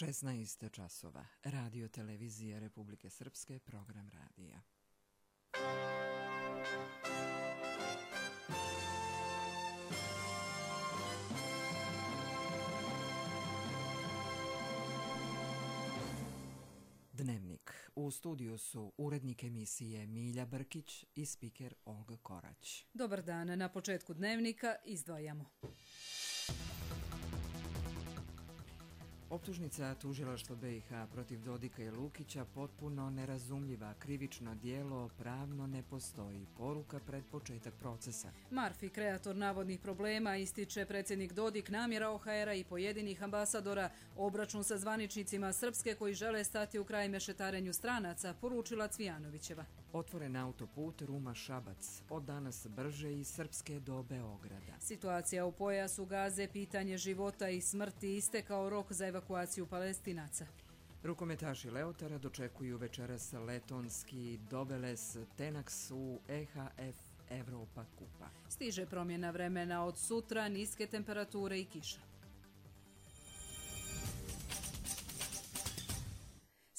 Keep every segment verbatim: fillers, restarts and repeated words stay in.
šesnaest časova. Radio televizije Republike Srpske, program radija. Dnevnik. U studiju su urednik emisije Milja Brkić i spiker Olga Korać. Dobar dan. Na početku dnevnika izdvajamo. Optužnica tužilaštva B i H protiv Dodika i Lukića potpuno nerazumljiva, krivično djelo pravno ne postoji. Poruka pred početak procesa. Marfi, kreator navodnih problema, ističe predsjednik Dodik, namjera O H R-a i pojedinih ambasadora, obračun sa zvaničnicima Srpske koji žele stati u kraj mešetarenju stranaca, poručila Cvijanovićeva. Otvoren autoput Ruma-Šabac, od danas brže iz Srpske do Beograda. Situacija u pojasu Gaze, pitanje života i smrti, istekao rok za evakuaciju Palestinaca. Rukometaši Leotara dočekuju večeras letonski Doveles Tenax u E H F Evropa kupa. Stiže promjena vremena od sutra, niske temperature i kiša.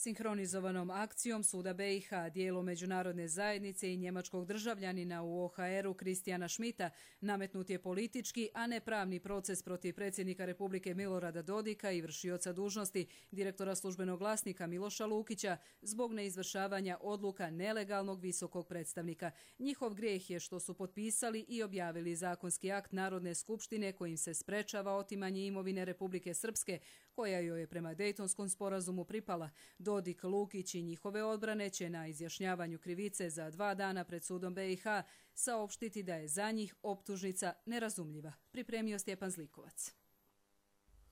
Sinhronizovanom akcijom Suda B i H, dijelo međunarodne zajednice i njemačkog državljanina u O H R-u Kristijana Šmita, nametnut je politički, a ne pravni proces protiv predsjednika Republike Milorada Dodika i vršioca dužnosti direktora službenog glasnika Miloša Lukića zbog neizvršavanja odluka nelegalnog visokog predstavnika. Njihov grijeh je što su potpisali i objavili zakonski akt Narodne skupštine kojim se sprečava otimanje imovine Republike Srpske, koja joj je prema Dejtonskom sporazumu pripala. Dodik, Lukić i njihove odbrane će na izjašnjavanju krivice za dva dana pred sudom B i H saopštiti da je za njih optužnica nerazumljiva. Pripremio Stjepan Zlikovac.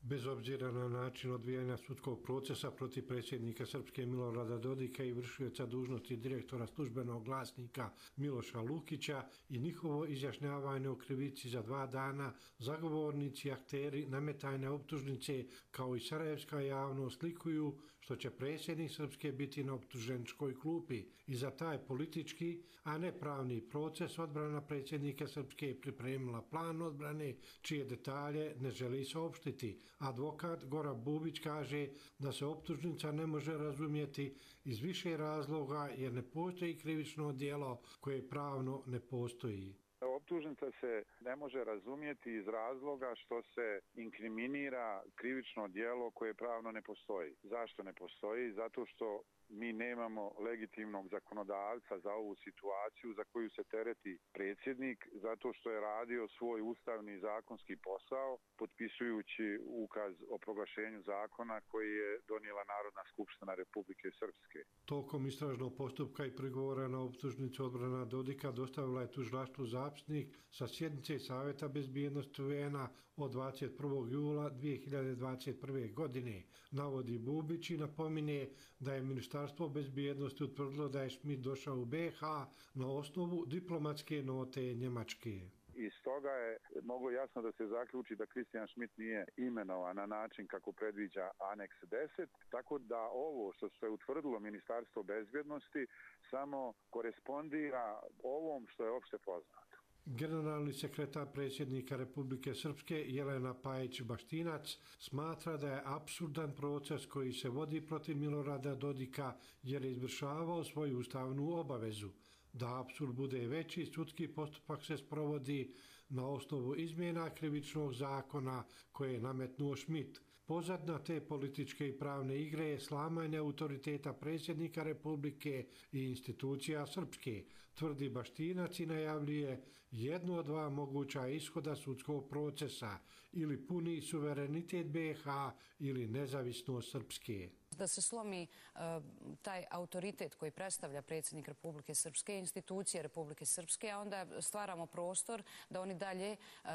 Bez obzira na način odvijanja sudskog procesa protiv predsjednika Srpske Milorada Dodika i vršioca dužnosti direktora službenog glasnika Miloša Lukića i njihovo izjašnjavanje o krivici za dva dana, zagovornici i akteri nametanja optužnice kao i sarajevska javnost likuju što će predsjednik Srpske biti na optuženičkoj klupi i za taj politički, a ne pravni proces odbrana predsjednika Srpske pripremila plan odbrane čije detalje ne želi saopštiti. Advokat Goran Bubić kaže da se optužnica ne može razumjeti iz više razloga jer ne postoji krivično djelo koje pravno ne postoji. Optužnica se ne može razumjeti iz razloga što se inkriminira krivično djelo koje pravno ne postoji. Zašto ne postoji? Zato što mi nemamo legitimnog zakonodavca za ovu situaciju za koju se tereti predsjednik, zato što je radio svoj ustavni zakonski posao potpisujući ukaz o proglašenju zakona koji je donijela Narodna skupština Republike Srpske. Tokom istražnog postupka i prigovora na optužnicu odbrana Dodika dostavila je tužilaštvu zapisnik sa sjednice Savjeta bezbjednosti U N-a od dvadeset prvog jula dvije hiljade dvadeset prve. godine. Navodi Bubić i napominje da je Ministarstvo bezbjednosti utvrdilo da je Šmit došao u B i H na osnovu diplomatske note Njemačke. Iz toga je moglo jasno da se zaključi da Kristijan Šmit nije imenovan na način kako predviđa aneks deset, tako da ovo što se utvrdilo Ministarstvo bezbjednosti samo korespondira ovom što je opšte poznato. Generalni sekretar predsjednika Republike Srpske Jelena Pajić-Baštinac smatra da je apsurdan proces koji se vodi protiv Milorada Dodika jer je izvršavao svoju ustavnu obavezu. Da apsurd bude veći, sudski postupak se sprovodi na osnovu izmjena krivičnog zakona koje je nametnuo Šmit. Pozadna te političke i pravne igre je slamanje autoriteta predsjednika Republike i institucija Srpske, tvrdi Baštinac i najavljuje jednu od dva moguća ishoda sudskog procesa, ili puni suverenitet B i H ili nezavisnost Srpske. Da se slomi uh, taj autoritet koji predstavlja predsjednik Republike Srpske, institucije Republike Srpske, a onda stvaramo prostor da oni dalje uh,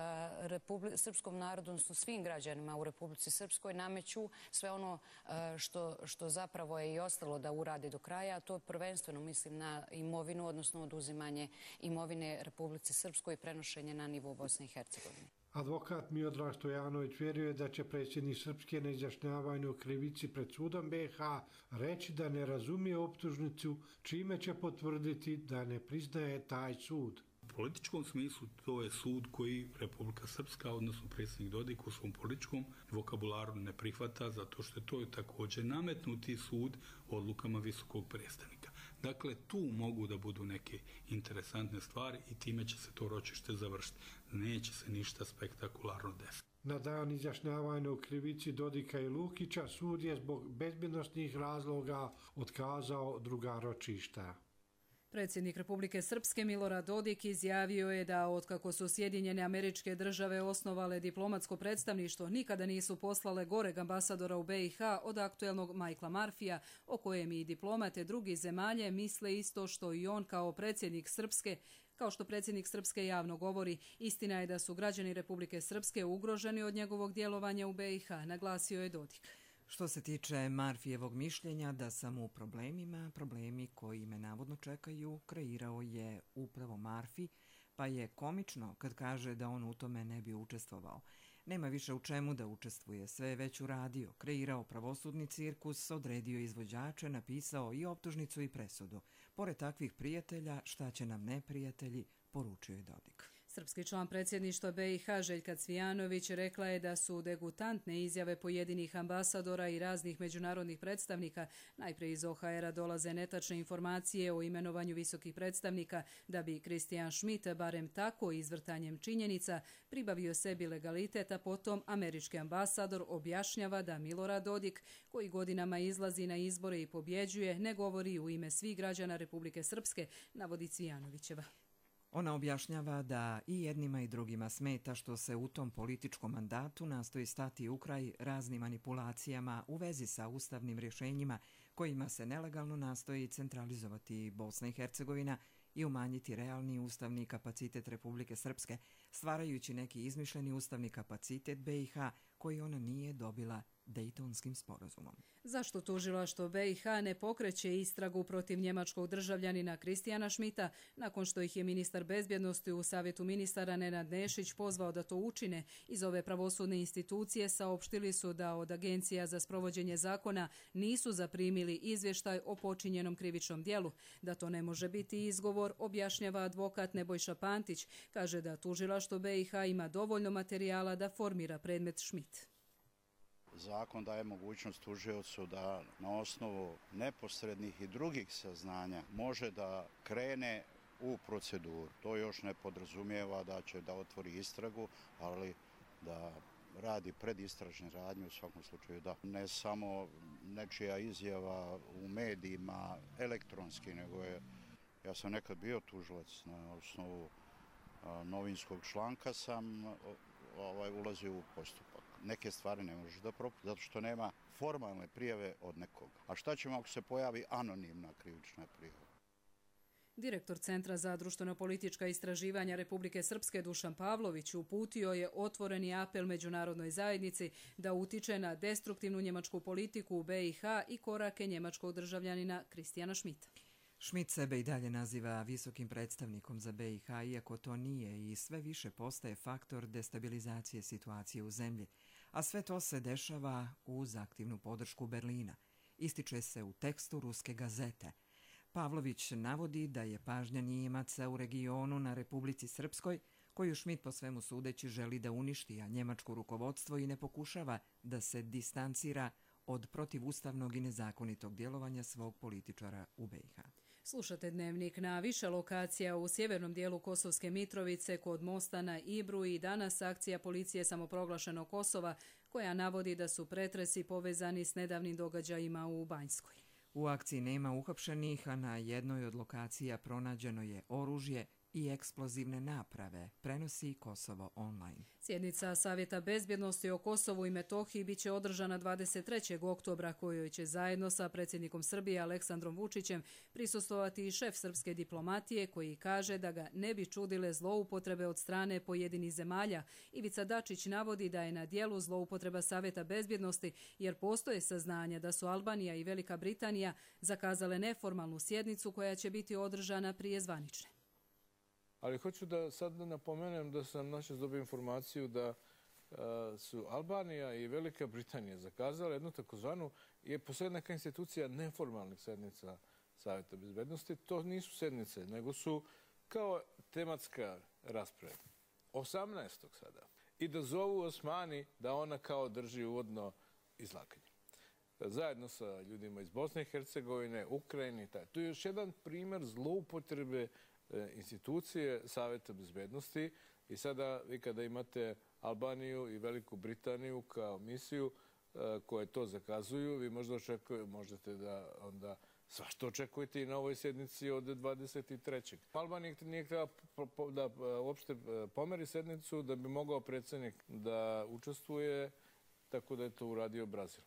Republi- srpskom narodu, odnosno svim građanima u Republici Srpskoj nameću sve ono uh, što, što zapravo je i ostalo da uradi do kraja, a to prvenstveno mislim na imovinu, odnosno oduzimanje imovine Republici Srpskoj i prenošenje na nivo Bosne i Hercegovine. Advokat Miodrag Stojanović vjeruje da će predsjednik Srpske na izjašnjavanju o krivici pred sudom B i H reći da ne razumije optužnicu, čime će potvrditi da ne priznaje taj sud. U političkom smislu to je sud koji Republika Srpska, odnosno predsjednik Dodik u svom političkom vokabularu ne prihvata, zato što je to također nametnuti sud odlukama visokog predstavnika. Dakle, tu mogu da budu neke interesantne stvari i time će se to ročište završiti. Neće se ništa spektakularno desiti. Na dan izjašnjavanja u krivici Dodika i Lukića sud je zbog bezbjednosnih razloga otkazao druga ročišta. Predsjednik Republike Srpske Milorad Dodik izjavio je da otkako su Sjedinjene Američke Države osnovale diplomatsko predstavništvo nikada nisu poslale goreg ambasadora u B i H od aktuelnog Michaela Murphyja, o kojem i diplomate drugih zemalje misle isto što i on kao predsjednik Srpske. Kao što predsjednik Srpske javno govori, istina je da su građani Republike Srpske ugroženi od njegovog djelovanja u B i H, naglasio je Dodik. Što se tiče Murphyjevog mišljenja da sam u problemima, problemi koji me navodno čekaju, kreirao je upravo Murphy, pa je komično kad kaže da on u tome ne bi učestvovao. Nema više u čemu da učestvuje, sve je već uradio, kreirao pravosudni cirkus, odredio izvođače, napisao i optužnicu i presudu. Pored takvih prijatelja, šta će nam neprijatelji, poručio je Dodik. Srpski član predsjedništva B i H Željka Cvijanović rekla je da su degutantne izjave pojedinih ambasadora i raznih međunarodnih predstavnika. Najprije iz O H R-a dolaze netačne informacije o imenovanju visokih predstavnika, da bi Christian Schmidt, barem tako izvrtanjem činjenica, pribavio sebi legalitet, a potom američki ambasador objašnjava da Milorad Dodik, koji godinama izlazi na izbore i pobjeđuje, ne govori u ime svih građana Republike Srpske, navodi Cvijanovićeva. Ona objašnjava da i jednima i drugima smeta što se u tom političkom mandatu nastoji stati u kraj raznim manipulacijama u vezi sa ustavnim rješenjima kojima se nelegalno nastoji centralizovati Bosna i Hercegovina i umanjiti realni ustavni kapacitet Republike Srpske, stvarajući neki izmišljeni ustavni kapacitet B i H koji ona nije dobila Dejtonskim sporazumom. Zašto tužilaštvo B i H ne pokreće istragu protiv njemačkog državljanina Christiana Schmidta nakon što ih je ministar bezbjednosti u Savjetu ministara Nenad Nešić pozvao da to učine? Iz ove pravosudne institucije saopštili su da od agencija za sprovođenje zakona nisu zaprimili izvještaj o počinjenom krivičnom djelu. Da to ne može biti izgovor, objašnjava advokat Nebojša Pantić. Kaže da tužilaštvo B i H ima dovoljno materijala da formira predmet Schmidt. Zakon daje mogućnost tužiocu da na osnovu neposrednih i drugih saznanja može da krene u proceduru. To još ne podrazumijeva da će da otvori istragu, ali da radi predistražne radnje u svakom slučaju da. Ne samo nečija izjava u medijima elektronski, nego je, ja sam nekad bio tužilac na osnovu a, novinskog članka sam ovaj, ulazio u postupak. Neke stvari ne možeš da propustiš, zato što nema formalne prijave od nekoga. A šta ćemo ako se pojavi anonimna krivična prijava? Direktor Centra za društveno-politička istraživanja Republike Srpske Dušan Pavlović uputio je otvoreni apel međunarodnoj zajednici da utiče na destruktivnu njemačku politiku u B i H i korake njemačkog državljanina Christiana Schmidta. Schmidt sebe i dalje naziva visokim predstavnikom za B i H, iako to nije i sve više postaje faktor destabilizacije situacije u zemlji, a sve to se dešava uz aktivnu podršku Berlina. Ističe se u tekstu Ruske gazete. Pavlović navodi da je pažnja Nijemaca u regionu na Republici Srpskoj, koju Schmidt po svemu sudeći želi da uništi, a njemačko rukovodstvo i ne pokušava da se distancira od protivustavnog i nezakonitog djelovanja svog političara u B i H. Slušate Dnevnik. Na više lokacija u sjevernom dijelu Kosovske Mitrovice kod mosta na Ibru i danas akcija policije samoproglašenog Kosova koja navodi da su pretresi povezani s nedavnim događajima u Banjskoj. U akciji nema uhapšenih, a na jednoj od lokacija pronađeno je oružje i eksplozivne naprave, prenosi Kosovo online. Sjednica Savjeta bezbjednosti o Kosovu i Metohiji biće održana dvadeset trećeg oktobra, kojoj će zajedno sa predsjednikom Srbije Aleksandrom Vučićem prisustvovati i šef srpske diplomatije, koji kaže da ga ne bi čudile zloupotrebe od strane pojedinih zemalja. Ivica Dačić navodi da je na dijelu zloupotreba Savjeta bezbjednosti jer postoje saznanja da su Albanija i Velika Britanija zakazale neformalnu sjednicu koja će biti održana prije zvanične. Ali hoću da sad napomenem da sam našao dobio informaciju da uh, su Albanija i Velika Britanija zakazale jednu takozvanu, je postoje neka institucija neformalnih sednica Savjeta bezbednosti. To nisu sednice, nego su kao tematska rasprava. osamnaestog sada. I da zovu Osmani da ona kao drži uvodno izlaganje. Zajedno sa ljudima iz Bosne i Hercegovine, Ukrajine. Tu je još jedan primjer zloupotrebe institucije Saveta bezbednosti. I sada vi kada imate Albaniju i Veliku Britaniju kao misiju koje to zakazuju, vi možda očekujete, možete da onda svašta očekujete i na ovoj sjednici od dvadeset trećeg Albanija nije htjela da uopšte pomeri sednicu da bi mogao predsjednik da učestvuje, tako da je to uradio Brazil.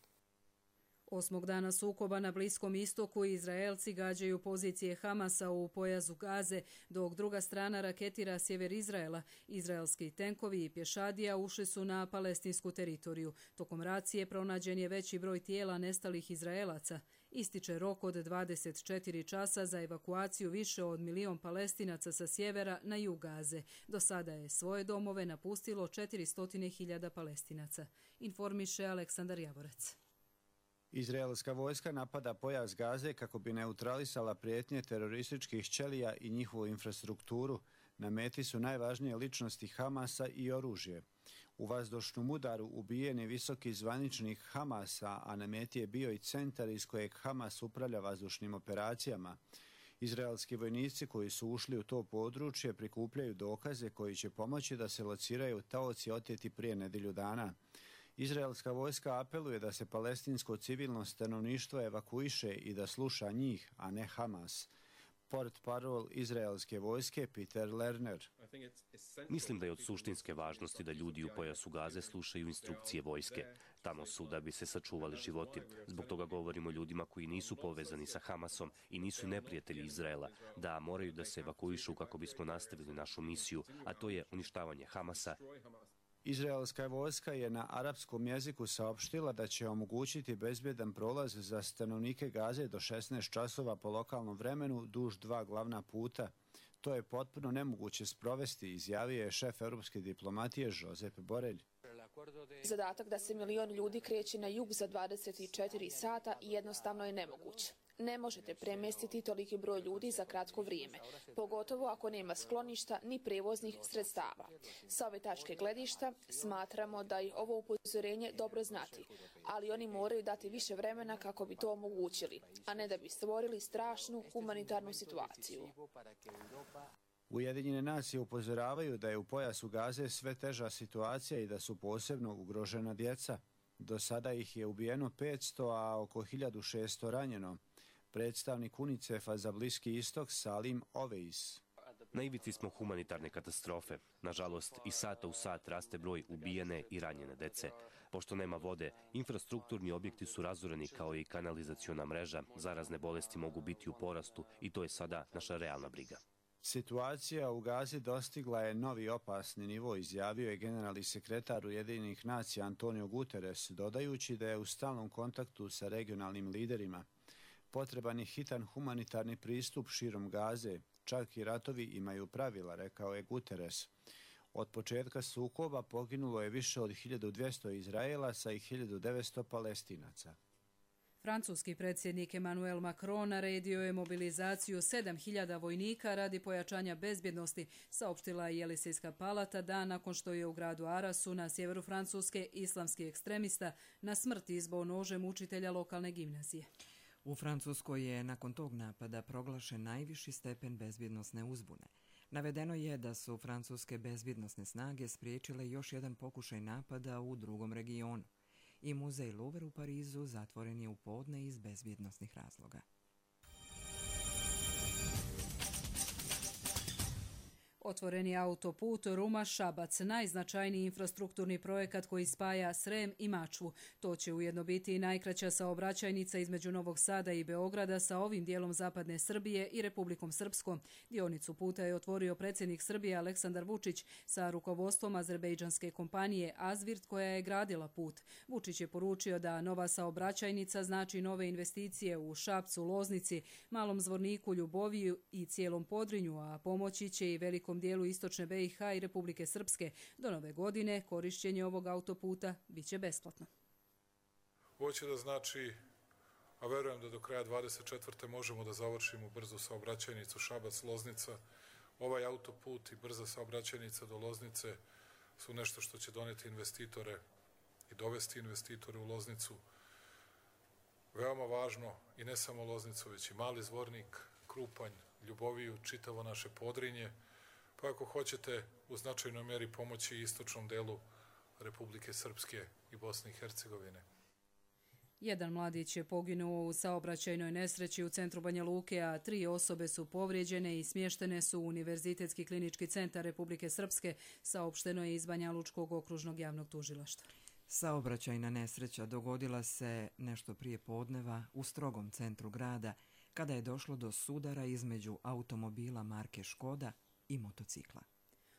Osmog dana sukoba na Bliskom istoku Izraelci gađaju pozicije Hamasa u pojasu Gaze, dok druga strana raketira sjever Izraela. Izraelski tenkovi i pješadija ušli su na palestinsku teritoriju. Tokom racije pronađen je veći broj tijela nestalih Izraelaca. Ističe rok od dvadeset četiri časa za evakuaciju više od milion Palestinaca sa sjevera na jug Gaze. Do sada je svoje domove napustilo četiristo hiljada Palestinaca. Informiše Aleksandar Javorac. Izraelska vojska napada pojas Gaze kako bi neutralisala prijetnje terorističkih ćelija i njihovu infrastrukturu. Na meti su najvažnije ličnosti Hamasa i oružje. U vazdušnom udaru ubijen je visoki zvaničnik Hamasa, a na meti je bio i centar iz kojeg Hamas upravlja vazdušnim operacijama. Izraelski vojnici koji su ušli u to područje prikupljaju dokaze koji će pomoći da se lociraju taoci oteti prije nedjelju dana. Izraelska vojska apeluje da se palestinsko civilno stanovništvo evakuiše i da sluša njih, a ne Hamas. Portparol izraelske vojske Peter Lerner. Mislim da je od suštinske važnosti da ljudi u pojasu Gaze slušaju instrukcije vojske. Tamo su da bi se sačuvali životi. Zbog toga govorimo o ljudima koji nisu povezani sa Hamasom i nisu neprijatelji Izraela, da moraju da se evakuišu kako bismo nastavili našu misiju, a to je uništavanje Hamasa. Izraelska vojska je na arapskom jeziku saopštila da će omogućiti bezbjedan prolaz za stanovnike Gaze do šesnaest časova po lokalnom vremenu duž dva glavna puta. To je potpuno nemoguće sprovesti, izjavio je šef europske diplomatije Josep Borrell. Zadatak da se milion ljudi kreće na jug za dvadeset četiri sata jednostavno je nemoguć. Ne možete premjestiti toliki broj ljudi za kratko vrijeme, pogotovo ako nema skloništa ni prevoznih sredstava. Sa ove tačke gledišta smatramo da je ovo upozorenje dobro znati, ali oni moraju dati više vremena kako bi to omogućili, a ne da bi stvorili strašnu humanitarnu situaciju. Ujedinjene nacije upozoravaju da je u pojasu Gaze sve teža situacija i da su posebno ugrožena djeca. Do sada ih je ubijeno petsto, a oko hiljadu šesto ranjeno. Predstavnik UNICEF-a za Bliski istok Salim Oveis. Na ivici smo humanitarne katastrofe. Nažalost, i sata u sat raste broj ubijene i ranjene dece. Pošto nema vode, infrastrukturni objekti su razoreni kao i kanalizaciona mreža. Zarazne bolesti mogu biti u porastu i to je sada naša realna briga. Situacija u Gazi dostigla je novi opasni nivo, izjavio je generalni sekretar Ujedinjenih nacija Antonio Guterres, dodajući da je u stalnom kontaktu sa regionalnim liderima. Potreban je hitan humanitarni pristup širom Gaze, čak i ratovi imaju pravila, rekao je Guterres. Od početka sukoba poginulo je više od hiljadu dvjesto Izraelaca i hiljadu devetsto Palestinaca. Francuski predsjednik Emmanuel Macron naredio je mobilizaciju sedam hiljada vojnika radi pojačanja bezbjednosti, saopštila je Jelisejska palata dan nakon što je u gradu Arasu na sjeveru Francuske islamski ekstremista na smrt izbao nožem učitelja lokalne gimnazije. U Francuskoj je nakon tog napada proglašen najviši stepen bezbjednosne uzbune. Navedeno je da su francuske bezbjednosne snage spriječile još jedan pokušaj napada u drugom regionu. I muzej Louvre u Parizu zatvoren je u podne iz bezbjednosnih razloga. Otvoreni autoput Ruma-Šabac, najznačajniji infrastrukturni projekat koji spaja Srem i Mačvu. To će ujedno biti i najkraća saobraćajnica između Novog Sada i Beograda sa ovim dijelom zapadne Srbije i Republikom Srpskom. Dionicu puta je otvorio predsjednik Srbije Aleksandar Vučić sa rukovodstvom azerbejdžanske kompanije Azvirt koja je gradila put. Vučić je poručio da nova saobraćajnica znači nove investicije u Šapcu, Loznici, Malom Zvorniku, Ljuboviju i cijelom Podrinju, a pomoći će i velikom dijelu istočne B i H i Republike Srpske. Do nove godine korišćenje ovog autoputa bit će besplatno. Ovo će da znači, a verujem da do kraja dvadeset četvrte možemo da završimo brzu saobraćajnicu Šabac-Loznica ovaj autoput i brza saobraćajnica do Loznice su nešto što će doneti investitore i dovesti investitore u Loznicu. Veoma važno i ne samo Loznicu, već i Mali Zvornik, Krupanj, Ljuboviju, čitavo naše Podrinje, pa ako hoćete u značajnoj meri pomoći i istočnom delu Republike Srpske i Bosne i Hercegovine. Jedan mladić je poginuo u saobraćajnoj nesreći u centru Banja Luke, a tri osobe su povrijeđene i smještene su u Univerzitetski klinički centar Republike Srpske, saopšteno je iz Banja Lučkog okružnog javnog tužilaštva. Saobraćajna nesreća dogodila se nešto prije podneva u strogom centru grada, kada je došlo do sudara između automobila marke Škoda i motocikla.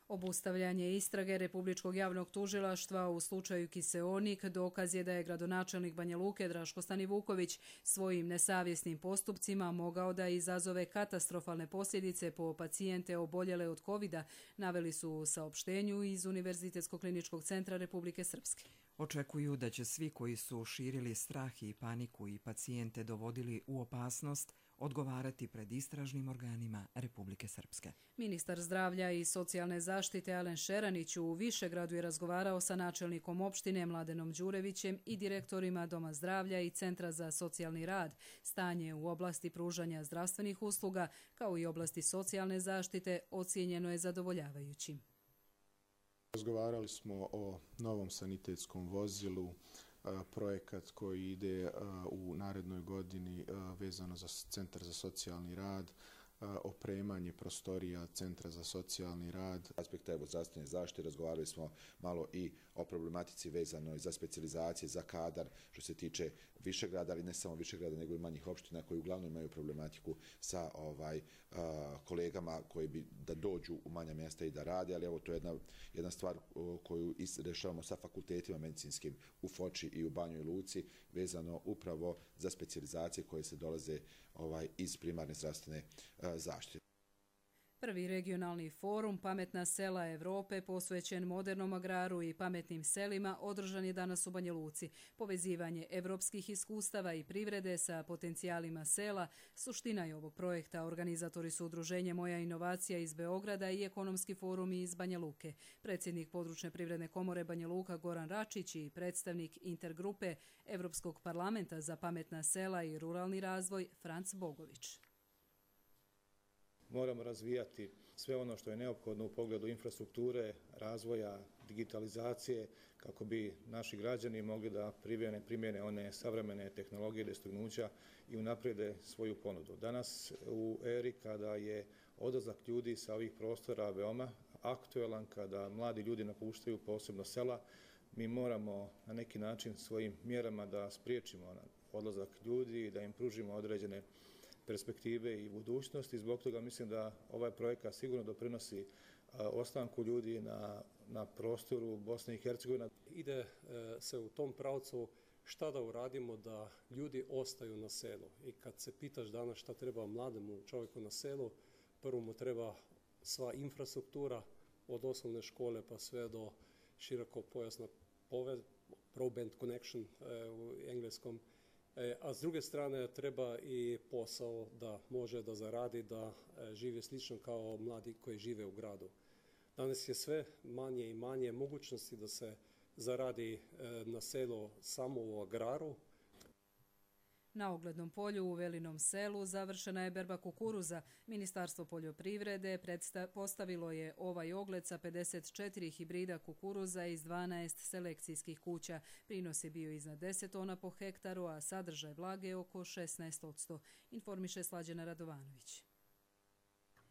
Obustavljanje istrage Republičkog javnog tužilaštva u slučaju Kiseonik dokaz je da je gradonačelnik Banja Luke Draško Stanivuković svojim nesavjesnim postupcima mogao da izazove katastrofalne posljedice po pacijente oboljele od kovida, naveli su u saopštenju iz Univerzitetskog kliničkog centra Republike Srpske. Očekuju da će svi koji su širili strah i paniku i pacijente dovodili u opasnost odgovarati pred istražnim organima Republike Srpske. Ministar zdravlja i socijalne zaštite Alen Šeranić u Višegradu je razgovarao sa načelnikom opštine Mladenom Đurevićem i direktorima Doma zdravlja i Centra za socijalni rad. Stanje u oblasti pružanja zdravstvenih usluga kao i oblasti socijalne zaštite ocijenjeno je zadovoljavajućim. Razgovarali smo o novom sanitetskom vozilu, projekat koji ide u narednoj godini vezano za Centar za socijalni rad, opremanje prostorija Centra za socijalni rad. Aspekta evo zdravstvene zaštite razgovarali smo malo i o problematici vezanoj za specijalizacije, za kadar, što se tiče Višegrada, ali ne samo Višegrada, nego i manjih opština koji uglavnom imaju problematiku sa ovaj a, kolegama koji bi da dođu u manja mjesta i da rade, ali evo to je jedna, jedna stvar o, koju rešavamo sa fakultetima medicinskim u Foči i u Banjoj Luci, vezano upravo za specijalizacije koje se dolaze ovaj iz primarne zdravstvene a, zaštite. Prvi regionalni forum Pametna sela Evrope posvećen modernom agraru i pametnim selima održan je danas u Banja Luci. Povezivanje evropskih iskustava i privrede sa potencijalima sela suština je ovog projekta. Organizatori su Udruženje Moja inovacija iz Beograda i Ekonomski forum iz Banja Luke. Predsjednik Područne privredne komore Banja Luka Goran Račić i predstavnik intergrupe Evropskog parlamenta za pametna sela i ruralni razvoj Franc Bogović. Moramo razvijati sve ono što je neophodno u pogledu infrastrukture, razvoja, digitalizacije, kako bi naši građani mogli da primjene, primjene one savremene tehnologije dostignuća i unaprijede svoju ponudu. Danas u eri kada je odlazak ljudi sa ovih prostora veoma aktuelan, kada mladi ljudi napuštaju posebno sela, mi moramo na neki način svojim mjerama da spriječimo odlazak ljudi i da im pružimo određene perspektive i budućnosti. Zbog toga mislim da ovaj projekat sigurno doprinosi ostanku ljudi na, na prostoru Bosne i Hercegovine. Ide se u tom pravcu šta da uradimo da ljudi ostaju na selu. I kad se pitaš danas šta treba mlademu čovjeku na selu, prvo mu treba sva infrastruktura od osnovne škole pa sve do širokopojasna povez, broadband connection u engleskom. A s druge strane treba i posao da može da zaradi, da žive slično kao mladi koji žive u gradu. Danas je sve manje i manje mogućnosti da se zaradi na selu samo u agraru. Na oglednom polju u Velinom selu završena je berba kukuruza. Ministarstvo poljoprivrede postavilo je ovaj ogled sa pedeset četiri hibrida kukuruza iz dvanaest selekcijskih kuća. Prinos je bio iznad deset tona po hektaru, a sadržaj vlage oko šesnaest posto. Informiše Slađana Radovanović.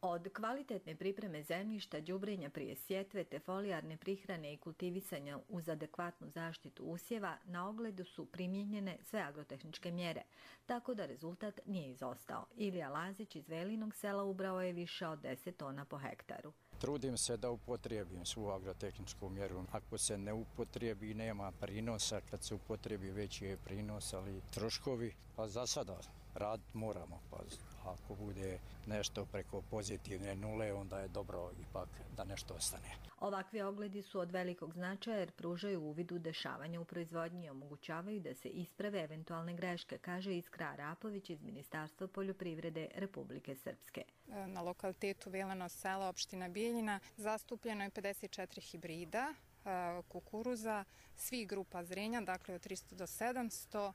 Od kvalitetne pripreme zemljišta, đubrenja prije sjetve te folijarne prihrane i kultivisanja uz adekvatnu zaštitu usjeva, na ogledu su primijenjene sve agrotehničke mjere, tako da rezultat nije izostao. Ilija Lazić iz Velinog sela ubrao je više od deset tona po hektaru. Trudim se da upotrijebim svu agrotehničku mjeru. Ako se ne upotrijebi, nema prinosa. Kad se upotrijebi, veći je prinos, ali troškovi. Pa za sada raditi moramo, pa ako bude nešto preko pozitivne nule, onda je dobro ipak da nešto ostane. Ovakvi ogledi su od velikog značaja jer pružaju uvid u dešavanja u proizvodnji i omogućavaju da se isprave eventualne greške, kaže Iskra Arapović iz Ministarstva poljoprivrede Republike Srpske. Na lokalitetu Veleno selo, opština Bijeljina, zastupljeno je pedeset četiri hibrida kukuruza, svih grupa zrenja, dakle od tristo do sedamsto,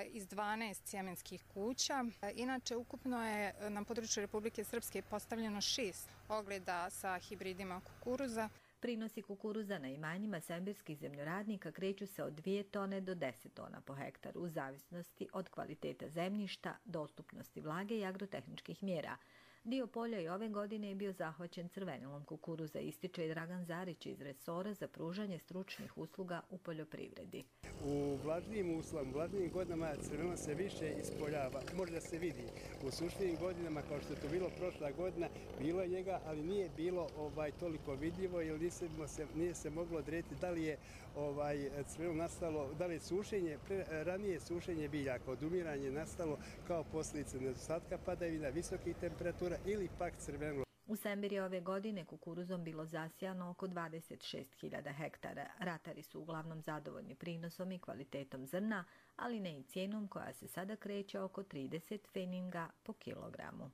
iz dvanaest sjemenskih kuća. Inače, ukupno je na području Republike Srpske postavljeno šest ogleda sa hibridima kukuruza. Prinosi kukuruza na imanjima sembirskih zemljoradnika kreću se od dvije tone do deset tona po hektaru, u zavisnosti od kvaliteta zemljišta, dostupnosti vlage i agrotehničkih mjera. Dio polja i ove godine je bio zahvaćen crvenilom kukuruza, ističe i Dragan Zarić iz resora za pružanje stručnih usluga u poljoprivredi. U vlažnijim uslovima, u vlažnijim godinama crvenilo se više ispoljava, može da se vidi. U sušnijim godinama, kao što je to bilo prošla godina, bilo je njega, ali nije bilo ovaj, toliko vidljivo, jer nije se, nije se moglo odrediti da li je ovaj, crvenilo nastalo, da li je sušenje, pre, ranije sušenje biljaka, odumiranje nastalo kao posljedica nedostatka padavina, visokih temperatura ili pak crvenilo. U Sembiri ove godine kukuruzom bilo zasijano oko dvadeset šest hiljada hektara. Ratari su uglavnom zadovoljni prinosom i kvalitetom zrna, ali ne i cijenom koja se sada kreće oko trideset feninga po kilogramu.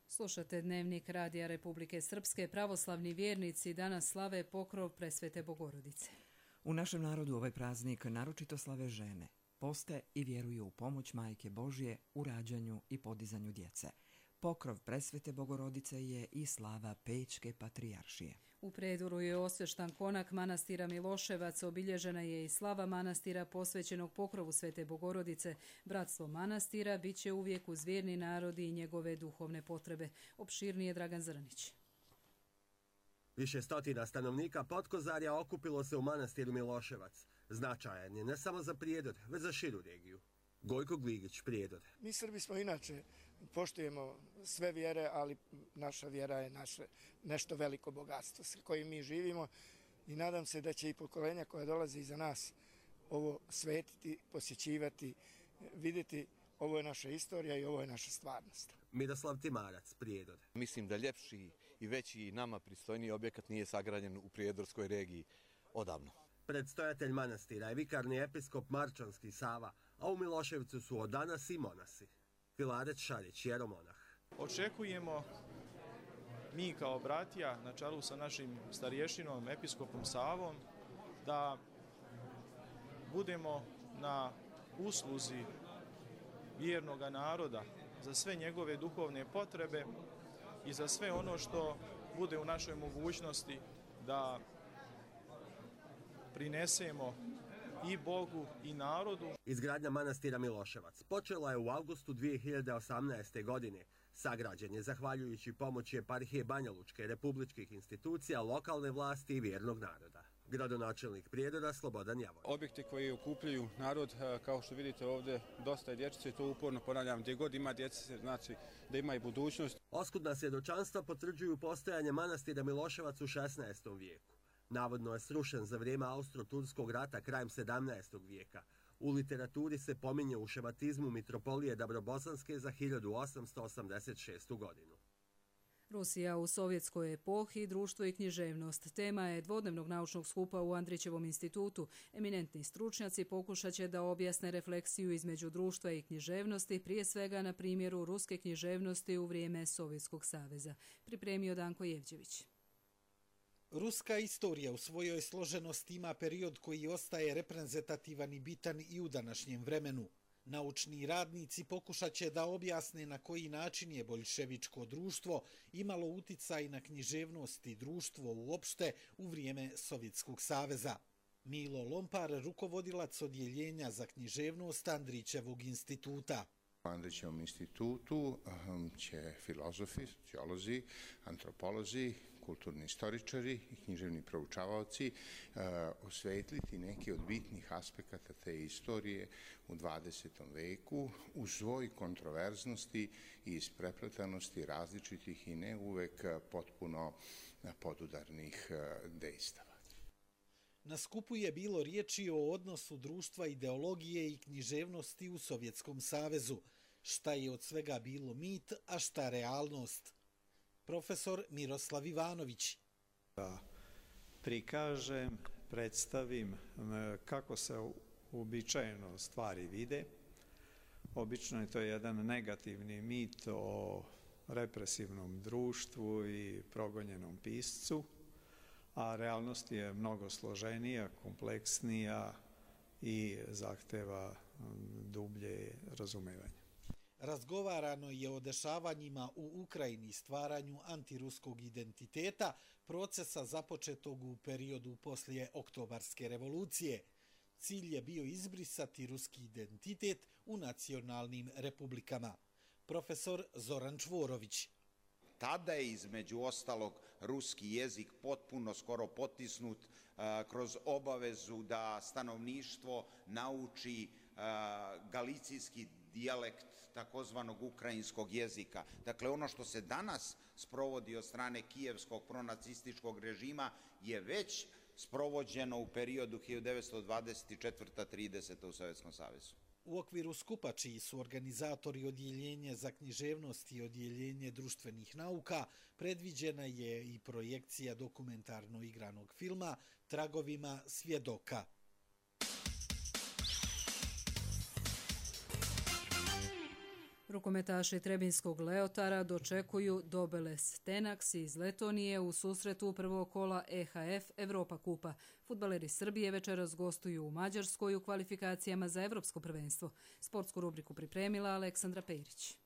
Slušate Dnevnik Radija Republike Srpske. Pravoslavni vjernici danas slave pokrov Presvete Bogorodice. U našem narodu ovaj praznik naročito slave žene. Poste i vjeruju u pomoć Majke Božje u rađanju i podizanju djece. Pokrov Presvete Bogorodice je i slava Pećke patrijaršije. U predvoru je osveštan konak manastira Miloševac, obilježena je i slava manastira posvećenog pokrovu Svete Bogorodice. Bratstvo manastira bit će uvijek uz vjerni narod i njegove duhovne potrebe. Opširnije Dragan Zrnić. Više stotina stanovnika Potkozarja okupilo se u manastiru Miloševac. Značajan je ne samo za Prijedor, već za širu regiju. Gojko Gligić, Prijedor. Mi Srbi smo inače, poštujemo sve vjere, ali naša vjera je naše nešto veliko bogatstvo s kojim mi živimo i nadam se da će i pokolenja koja dolaze iza nas ovo svetiti, posjećivati, vidjeti ovo je naša istorija i ovo je naša stvarnost. Miroslav Timarac, Prijedor. Mislim da ljepši i veći i nama pristojniji objekat nije sagrađen u Prijedorskoj regiji odavno. Predstojatelj manastira je vikarni episkop Marčanski Sava, a u Miloševcu su od danas i monasi. Filarec Šarić, jeromonah. Očekujemo mi kao bratija, na čelu sa našim starješinom, episkopom Savom, da budemo na usluzi vjernog naroda za sve njegove duhovne potrebe i za sve ono što bude u našoj mogućnosti da prinesemo i Bogu i narodu. Izgradnja manastira Miloševac počela je u avgustu dvije hiljade osamnaeste. godine. Sagrađen je zahvaljujući pomoći eparhije Banja Lučke, republičkih institucija, lokalne vlasti i vjernog naroda. Gradonačelnik Prijedora Slobodan Javor. Objekti koji okupljaju narod, kao što vidite ovdje, dosta je dječice, to uporno ponavljam, gdje god ima djece, znači da ima i budućnost. Oskudna svjedočanstva potvrđuju postojanje manastira Miloševac u šesnaestom. vijeku. Navodno je srušen za vrijeme Austro-Turskog rata krajem sedamnaestog. vijeka. U literaturi se pominje u šematizmu mitropolije Dabrobosanske za hiljadu osamsto osamdeset šestu. godinu. Rusija u sovjetskoj epohi, društvo i književnost. Tema je dvodnevnog naučnog skupa u Andrićevom institutu. Eminentni stručnjaci pokušat će da objasne refleksiju između društva i književnosti, prije svega na primjeru ruske književnosti u vrijeme Sovjetskog saveza. Pripremio Danko Jevđević. Ruska istorija u svojoj složenosti ima period koji ostaje reprezentativan i bitan i u današnjem vremenu. Naučni radnici pokušat će da objasne na koji način je boljševičko društvo imalo uticaj na književnost i društvo uopšte u vrijeme Sovjetskog saveza. Milo Lompar, rukovodilac odjeljenja za književnost Andrićevog instituta. U Andrićevom institutu će filozofi, sociolozi, antropolozi, kulturni istoričari i književni proučavaoci uh, osvetliti neki od bitnih aspekata te istorije u dvadesetom. veku u svoj kontroverznosti i isprepletanosti različitih i ne uvek potpuno podudarnih uh, dejstava. Na skupu je bilo riječi o odnosu društva, ideologije i književnosti u Sovjetskom savezu. šta je od svega bilo mit, a šta realnost. Profesor Miroslav Ivanović. Da prikažem, predstavim kako se uobičajeno stvari vide. Obično je to jedan negativni mit o represivnom društvu i progonjenom piscu, a realnost je mnogo složenija, kompleksnija i zahteva dublje razumevanje. Razgovarano je o dešavanjima u Ukrajini, stvaranju antiruskog identiteta, procesa započetog u periodu poslije Oktobarske revolucije. Cilj je bio izbrisati ruski identitet u nacionalnim republikama. Profesor Zoran Čvorović. Tada je između ostalog ruski jezik potpuno skoro potisnut kroz obavezu da stanovništvo nauči galicijski dijalekt takozvanog ukrajinskog jezika. Dakle, ono što se danas sprovodi od strane kijevskog pronacističkog režima je već sprovođeno u periodu hiljadu devetsto dvadeset četvrta do trideseta u Sovjetskom savezu. U okviru skupa, čiji su organizatori odjeljenje za književnost i odjeljenje društvenih nauka, predviđena je i projekcija dokumentarno igranog filma Tragovima svjedoka. Rukometaši Trebinskog Leotara dočekuju Dobeles Tenaks iz Letonije u susretu prvog kola E H F Evropa kupa. Fudbaleri Srbije večeras gostuju u Mađarskoj u kvalifikacijama za Evropsko prvenstvo. Sportsku rubriku pripremila Aleksandra Pejrić.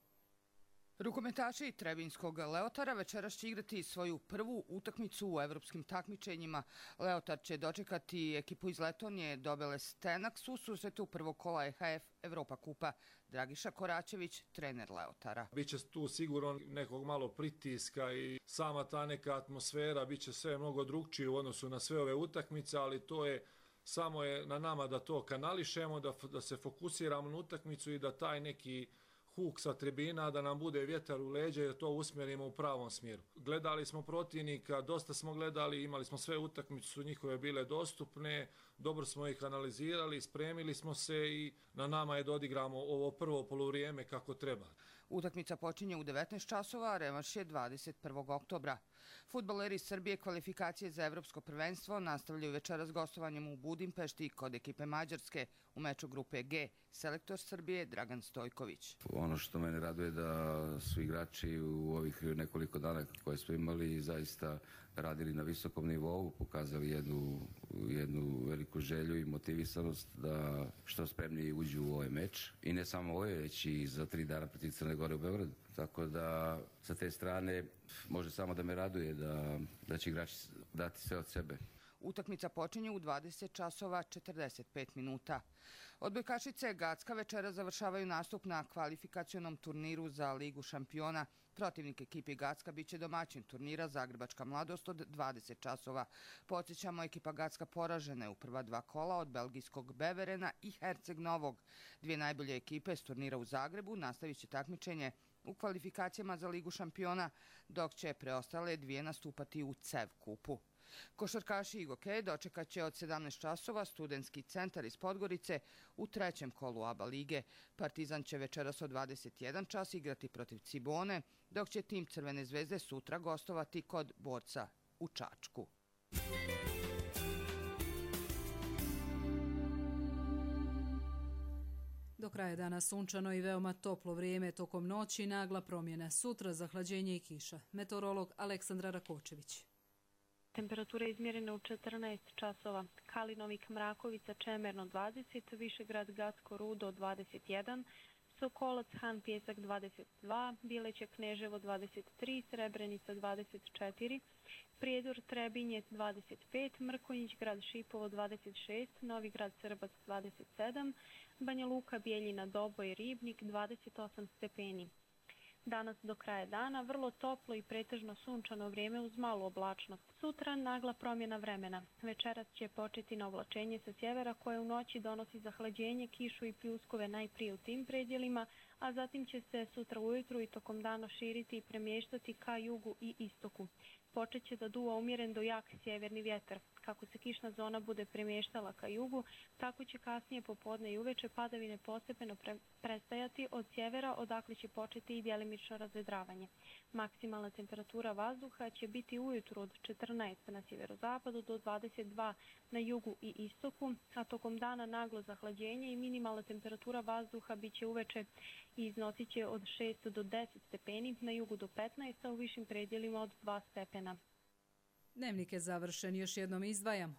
Rukometaši Trebinskog Leotara večeras će igrati svoju prvu utakmicu u evropskim takmičenjima. Leotar će dočekati ekipu iz Letonije Dobeles Tenaks u susretu prvog kola E H F Evropa kupa. Dragiša Koračević, trener Leotara. Biće tu sigurno nekog malo pritiska i sama ta neka atmosfera biće sve mnogo drugčije u odnosu na sve ove utakmice, ali to je samo je na nama da to kanališemo, da, da se fokusiramo na utakmicu i da taj neki huk sa tribina, da nam bude vjetar u leđa i da to usmjerimo u pravom smjeru. Gledali smo protivnika, dosta smo gledali, imali smo sve utakmice, su njihove bile dostupne, dobro smo ih analizirali, spremili smo se i na nama je da odigramo ovo prvo poluvrijeme kako treba. Utakmica počinje u devetnaest časova, a revanš je dvadeset prvog oktobra. Fudbaleri Srbije kvalifikacije za Evropsko prvenstvo nastavljaju večeras gostovanjem u Budimpešti kod ekipe Mađarske u meču grupe G. Selektor Srbije Dragan Stojković. Ono što mene raduje da su igrači u ovih nekoliko dana koje smo imali zaista radili na visokom nivou, pokazali jednu, jednu veliku želju i motivisanost da što spremniji uđu u ovaj meč. I ne samo ovo, već i za tri dana protiv Crne Gore u Beogradu. Tako da sa te strane može samo da me raduje da, da će igrači dati sve od sebe. Utakmica počinje u dvadeset časova četrdeset pet minuta. Odbojkašice Gacka večera završavaju nastup na kvalifikacionom turniru za Ligu šampiona. Protivnik ekipi Gacka biće domaćin turnira Zagrebačka mladost od dvadeset časova. Podsjećamo, ekipa Gacka poražena je u prva dva kola od belgijskog Beverena i Herceg Novog. Dvije najbolje ekipe s turnira u Zagrebu nastavit će takmičenje u kvalifikacijama za Ligu šampiona, dok će preostale dvije nastupati u C E V kupu. Košarkaši i Gokej dočekat će od sedamnaest časova Studentski centar iz Podgorice u trećem kolu A B A lige. Partizan će večeras od dvadeset jedan čas igrati protiv Cibone, dok će tim Crvene zvezde sutra gostovati kod Borca u Čačku. Do kraja dana sunčano i veoma toplo vrijeme, tokom noći nagla promjena. Sutra zahlađenje i kiša. Meteorolog Aleksandra Rakočević. Temperatura je izmjerena u četrnaest časova. Kalinovik, Mrakovica, Čemerno dvadeset, Višegrad, Gacko, Rudo dvadeset jedan, Sokolac, Han, Pjesak dvadeset dva, Bileće, Kneževo dvadeset tri, Srebrenica dvadeset četiri, Prijedor, Trebinje dvadeset pet, Mrkonjić, Grad Šipovo dvadeset šest, Novi Grad, Srbac dvadeset sedam, Banja Luka, Bijeljina, Doboj, Ribnik dvadeset osam stepeni. Danas do kraja dana vrlo toplo i pretežno sunčano vrijeme uz malu oblačnost. Sutra nagla promjena vremena. Večeras će početi na oblačenje sa sjevera koje u noći donosi zahlađenje, kišu i pljuskove najprije u tim predjelima, a zatim će se sutra ujutru i tokom dana širiti i premještati ka jugu i istoku. Počet će da duva umjeren do jak sjeverni vjetar. Kako se kišna zona bude premještala ka jugu, tako će kasnije popodne i uveče padavine postepeno pre prestajati od sjevera, odakle će početi i djelimično razvedravanje. Maksimalna temperatura vazduha će biti ujutru od četrnaest na sjeverozapadu do dvadeset dva na jugu i istoku, a tokom dana naglo zahlađenje i minimalna temperatura vazduha bit će uveče i iznosit će od šest do deset stepeni, na jugu do petnaest, a u višim predjelima od dva stepena. Dnevnik je završen, još jednom izdvajamo.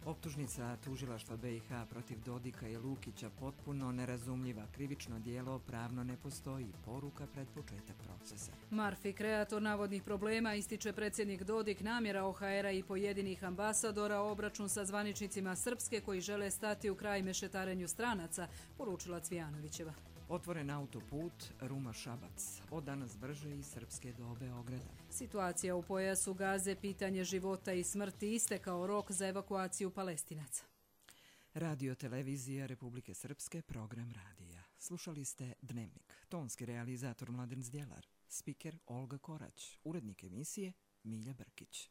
Optužnica tužilaštva B i H protiv Dodika i Lukića potpuno nerazumljiva. Krivično djelo pravno ne postoji. Poruka pred početak procesa. Marfi, kreator navodnih problema, ističe predsjednik Dodik, namjera O H R-a i pojedinih ambasadora, obračun sa zvaničnicima Srpske koji žele stati u kraj mešetarenju stranaca, poručila Cvijanovićeva. Otvoren autoput Ruma-Šabac. Od danas brže iz Srpske do Beograda. Situacija u pojasu Gaze, pitanje života i smrti, istekao rok za evakuaciju Palestinaca. Radio televizija Republike Srpske, program radija. Slušali ste Dnevnik. Tonski realizator Mladen Zdjelar. Spiker Olga Korać. Urednik emisije Milja Brkić.